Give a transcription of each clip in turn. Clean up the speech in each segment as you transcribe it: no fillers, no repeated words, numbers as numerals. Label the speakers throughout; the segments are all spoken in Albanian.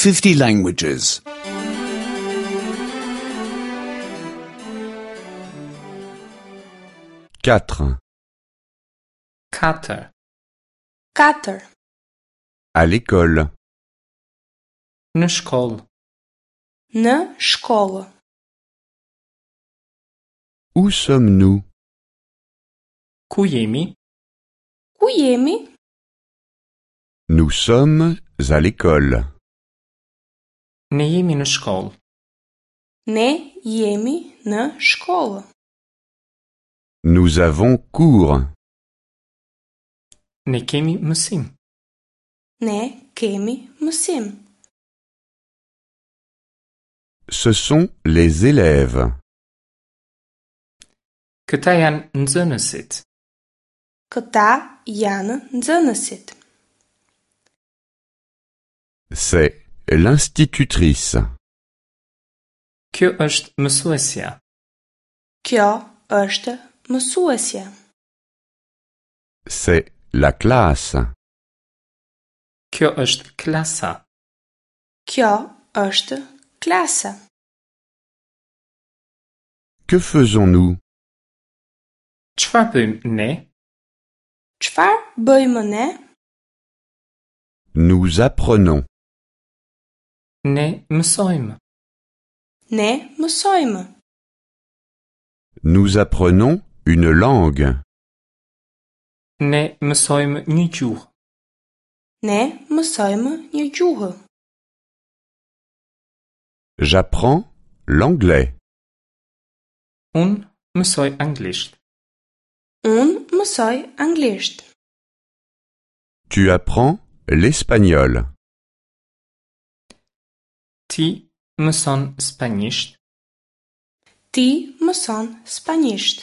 Speaker 1: 50 languages.
Speaker 2: 4.
Speaker 3: 4.
Speaker 4: 4.
Speaker 2: À l'école.
Speaker 3: Në shkollë.
Speaker 4: Në shkollë.
Speaker 2: Où sommes-nous
Speaker 3: Ku jemi?
Speaker 4: Ku jemi?
Speaker 2: Nous sommes à l'école.
Speaker 3: Ne jemi në shkollë.
Speaker 4: Ne jemi në shkollë.
Speaker 2: Nous avons cours.
Speaker 3: Ne kemi mësim.
Speaker 4: Ne kemi mësim.
Speaker 2: Ce sont les élèves.
Speaker 3: Këta janë nxënësit.
Speaker 4: Këta janë nxënësit.
Speaker 2: C'est l'institutrice.
Speaker 3: Kjo është mësuesja.
Speaker 4: Kjo është mësuesja.
Speaker 2: C'est la classe.
Speaker 3: Kjo është klasa.
Speaker 4: Kjo është klasa.
Speaker 2: Que faisons-nous
Speaker 3: Çfarë bëjmë ne?
Speaker 4: Çfarë bëjmë ne?
Speaker 2: Nous apprenons.
Speaker 3: Ne mësojmë.
Speaker 4: Ne mësojmë.
Speaker 2: Nous apprenons une langue.
Speaker 3: Ne mësojmë një gjuhë.
Speaker 4: Ne mësojmë një gjuhë.
Speaker 2: J'apprends l'anglais.
Speaker 3: Unë mësoj anglisht.
Speaker 4: Unë mësoj anglisht.
Speaker 2: Tu apprends l'espagnol.
Speaker 3: Ti mëson spanjisht.
Speaker 4: Ti mëson spanjisht.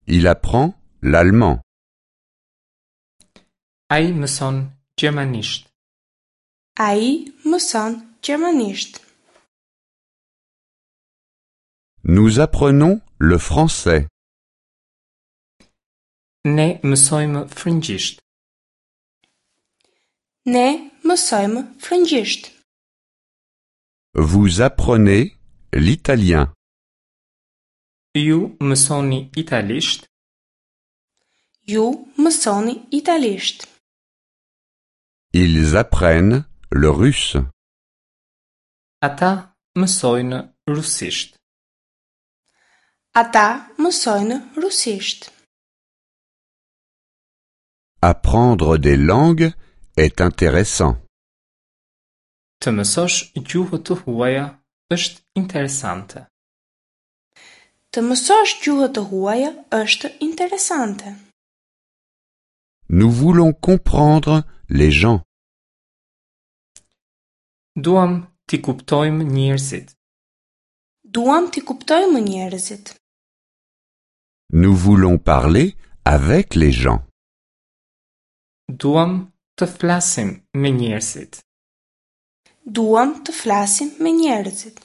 Speaker 2: Il apprend l'allemand.
Speaker 3: Ai mëson gjermanisht.
Speaker 4: Ai mëson gjermanisht.
Speaker 2: Nous apprenons le français.
Speaker 3: Ne mësojmë frëngjisht.
Speaker 4: Ne mësojmë frëngjisht.
Speaker 2: Vous apprenez l'italien.
Speaker 3: Ju mësoni italisht.
Speaker 4: Ju mësoni italisht.
Speaker 2: Ils apprennent le russe.
Speaker 3: Ata mësojnë rusisht.
Speaker 4: Ata mësojnë rusisht.
Speaker 2: Apprendre des langues est intéressant.
Speaker 3: Të mësosh gjuhë të huaja është interesante.
Speaker 4: Të mësosh gjuhë të huaja është interesante.
Speaker 2: Nous voulons comprendre les gens.
Speaker 3: Duam t'i kuptojmë njerëzit.
Speaker 4: Duam t'i kuptojmë njerëzit.
Speaker 2: Nous voulons parler avec les gens.
Speaker 3: Duam të flasim me njerëzit.
Speaker 4: Duam të flasim me njerëzit.